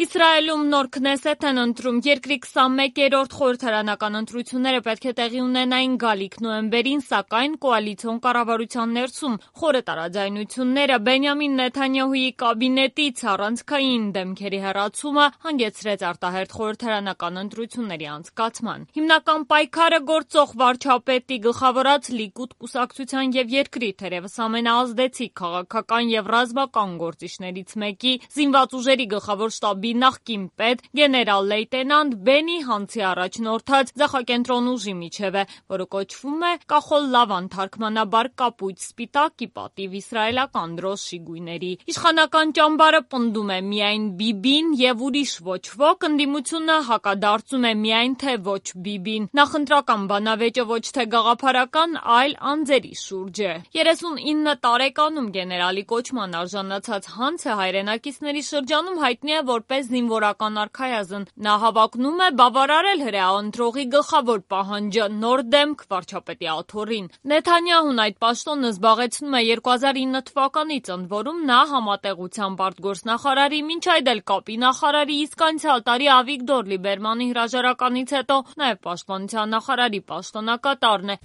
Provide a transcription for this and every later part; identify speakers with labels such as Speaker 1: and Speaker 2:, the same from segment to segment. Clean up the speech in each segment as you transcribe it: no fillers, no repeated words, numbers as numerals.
Speaker 1: Իսրայելում նոր քնեսեթ են ընտրում, երկրի 21-րդ խորհրդարանական ընտրությունները պետք է տեղի ունենային գալիք նոյեմբերին, սակայն կոալիցիոն կառավարության ներսում խորը տարաձայնությունները Բենյամին Նեթանյահուի կաբինետից առանցքային դեմքերի հեռացումը հանգեցրեց արտահերթ խորհրդարանական ընտրությունների անցկացման։ Հիմնական պայքարը գործող վարչապետի գլխավորած Լիկուդ կուսակցության եւ երկրի թերևս ամենաազդեցիկ քաղաքական եւ ռազմական գործիչներից մեկի զինված ուժերի գլխավոր շտաբի նախկին պետ գեներալ լեյտենանտ Բենի Հանցի առաջնորդած ձախակենտրոն ուժի միջև է, որը կոչվում է կախոլ լավան, թարգմանաբար կապույտ սպիտակ ի պատիվ իսրայելական դրոշի գույների։ Իշխանական ճամբարը պնդում է միայն Բիբին եւ ուրիշ ոչ ոք, ընդդիմությունը հակադարձում է միայն թե ոչ Բիբին։ Նախընտրական բանավեճը ոչ թե գաղափարական, այլ անձերի շուրջ է։ 39 տարեկանում գեներալի կոչման արժանացած Հանցը հայրենակիցների շրջանում հայտնի է որպես զինվորական արքայազն։ Նա հավակնում է բավարարել հրեա ընտրողի գլխավոր պահանջը՝ նոր դեմք վարչապետի աթոռին։ Նեթանյահուն այդ պաշտոնը զբաղեցնում է 2009 թվականից, ընդ որում նա համատեղությամբ արտգործնախարարի, մինչ այդ էլ կապի նախարարի, իսկ անցյալ տարի Ավիգդոր Լիբերմանի հրաժարականից հետո նաև պաշտպանության նախարարի պաշտոնակատարն է։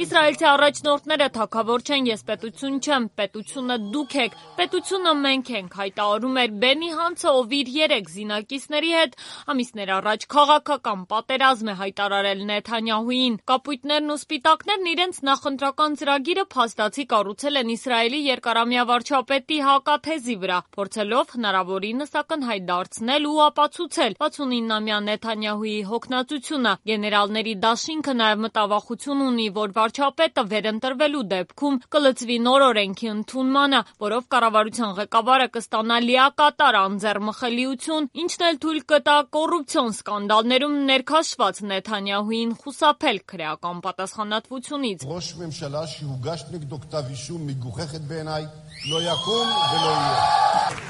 Speaker 1: Իսրայելցի առաջնորդները թագավոր չեն, ես պետություն չեմ, պետությունը դուք եք, պետությունը մենք ենք, հայտարարում էր Բենի Հանցը, ով իր 3 զինակիցների հետ ամիսներ առաջ քաղաքական պատերազմ է հայտարարել Նեթանյահուին։ Կապույտներն ու սպիտակներն իրենց նախընտրական ծրագիրը փաստացի կառուցել են Իսրայելի երկարամյա վարչապետի հակաթեզի վրա, փորձելով հնարավորինս ակնհայտ դարձնել ու ապացուցել 69-ամյա Նեթանյահուի հոգնածությունը։ Գեներալների դաշինքը նաև մտավախություն ունի, որ վարչապետը վերընտրվելու դեպքում կլծվի նոր օրենքի ընդունմանը, որով կառավարության ղեկավարը կստանա լիակատար անձեռմխելիություն, ինչն էլ թույլ կտա կոռուպցիոն սկանդալներում ներքաշված Նեթանյահուին խուսափել քրեական պատասխանատվությունից։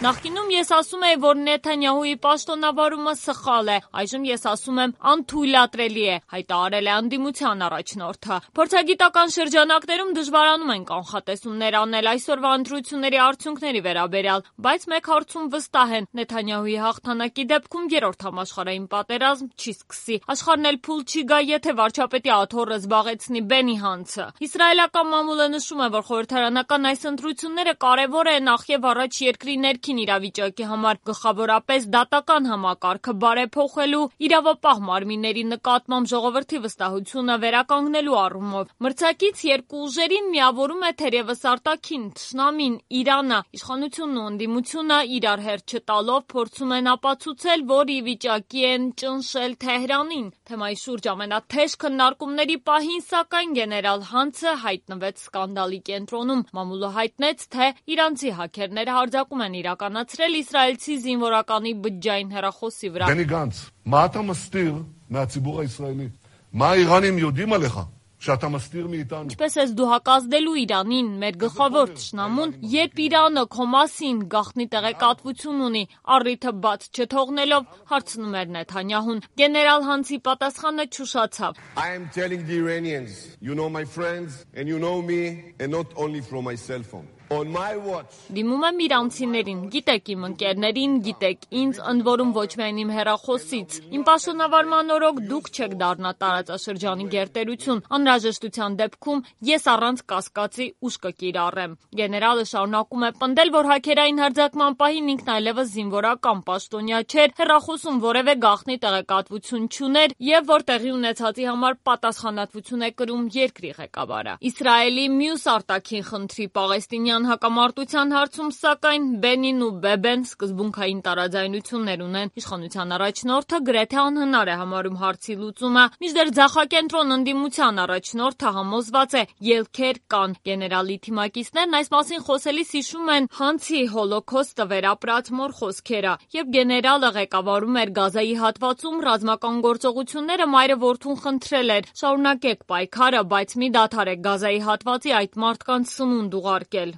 Speaker 1: Նախկինում ես ասում էի, որ Նեթանյահուի պաշտոնավարումը սխալ է, այժմ ես ասում եմ անթույլատրելի է, հայտարարել է ընդդիմության առաջնորդը։ Փորձագիտական շրջանակներում դժվարանում են կանխատեսումներ անել այսօրվա ընտրությունների արդյունքների վերաբերյալ, բայց մեկ հարցում վստահ են՝ Նեթանյահուի հաղթանակի դեպքում երրորդ համաշխարհային պատերազմ չի սկսի։ Աշխարհն էլ փուլ չի գա, եթե վարչապետի աթոռը զբաղեցնի Բենի Հանցը։ Իսրայելական մամուլը նշում է, որ խորհրդարանական այս ընտրությունները կարևոր է նախ եւ առաջ երկրի ներքին իրավիճակի համար, գլխավորապես դատական համակարգը բարեփոխելու, իրավապահ մարմինների նկատմամբ ժողովրդի վստահությունը վերականգնելու առումով։ Մրցակից երկու ուժերին միավորում է թերևս արտաքին թշնամին՝ Իրանը։ Իշխանությունն ու ընդդիմությունը իրար հերթ չտալով փորձում են ապացուցել, որ ի վիճակի են ճնշել Թեհրանին։ Թեմայի շուրջ ամենաթեժ քննարկումների պահին, սակայն գեներալ Հանցը հայտնվեց սկանդալի կենտրոնում։ Մամուլը հայտնեց, թե իրանցի հաքերները հարձակում են իրականացրել իսրայելցի զինվորականի բջջային հեռախոսի վրա։
Speaker 2: Բենի Գանց, מה אתה מסתיר מהציבור הישראלי? מה האיראנים יודעים עליך? שאתה מסתיר מאיתנו.
Speaker 1: Ինչպես ես դու հակազդելու Իրանին, մեր գլխավոր թշնամուն, երբ Իրանը քո մասին գաղտնի տեղեկատվություն ունի, առիթը բաց չթողնելով, հարցնում էր Նեթանյահուն։ Գեներալ Հանցի պատասխանը չուշացավ։
Speaker 2: I am telling the Iranians, you know my friends and you know me and not only from my cell phone. On my watch.
Speaker 1: Դիմում եմ իրանցիներին, գիտեք իմ ընկերներին, գիտեք ինձ, ընդ որում ոչ միայն իմ հեռախոսից։ Իմ պաշտոնավարման օրոք դուք չեք դառնա տարածաշրջանի գերտերություն։ Անհրաժեշտության դեպքում ես առանց կասկածի ուժ կկիրառեմ։ Գեներալը շարունակում է պնդել, որ հաքերային հարձակման պահին ինքն այլևս զինվորական պաշտոնյա չէր, հեռախոսում որևէ գաղտնի տեղեկատվություն չուներ եւ որ տեղի ունեցածի համար պատասխանատվություն է կրում երկրի ղեկավարը։ Իսրայելի մյուս արտաքին խնդրի պաղեստինյան հակամարտության հարցում, սակայն Բենին ու Բեբեն սկզբունքային տարաձայնություններ ունեն։ Իշխանության առաջնորդը գրեթե անհնար է համարում հարցի լուծումը, մինչդեռ ձախակենտրոն ընդդիմության առաջնորդը համոզված է՝ ելքեր կան։ Գեներալի թիմակիցներն այս մասին խոսելիս հիշում են Հանցի հոլոքոստը վերապրած մոր խոսքերը, երբ գեներալը ղեկավարում էր Գազայի հատվածում ռազմական գործողությունները, մայրը որդուն խնդրել էր՝ շարունակեք պայքարը, բայց մի դադարեք Գազայի հատվածի այդ մարդկանց սնունդ ուղարկել։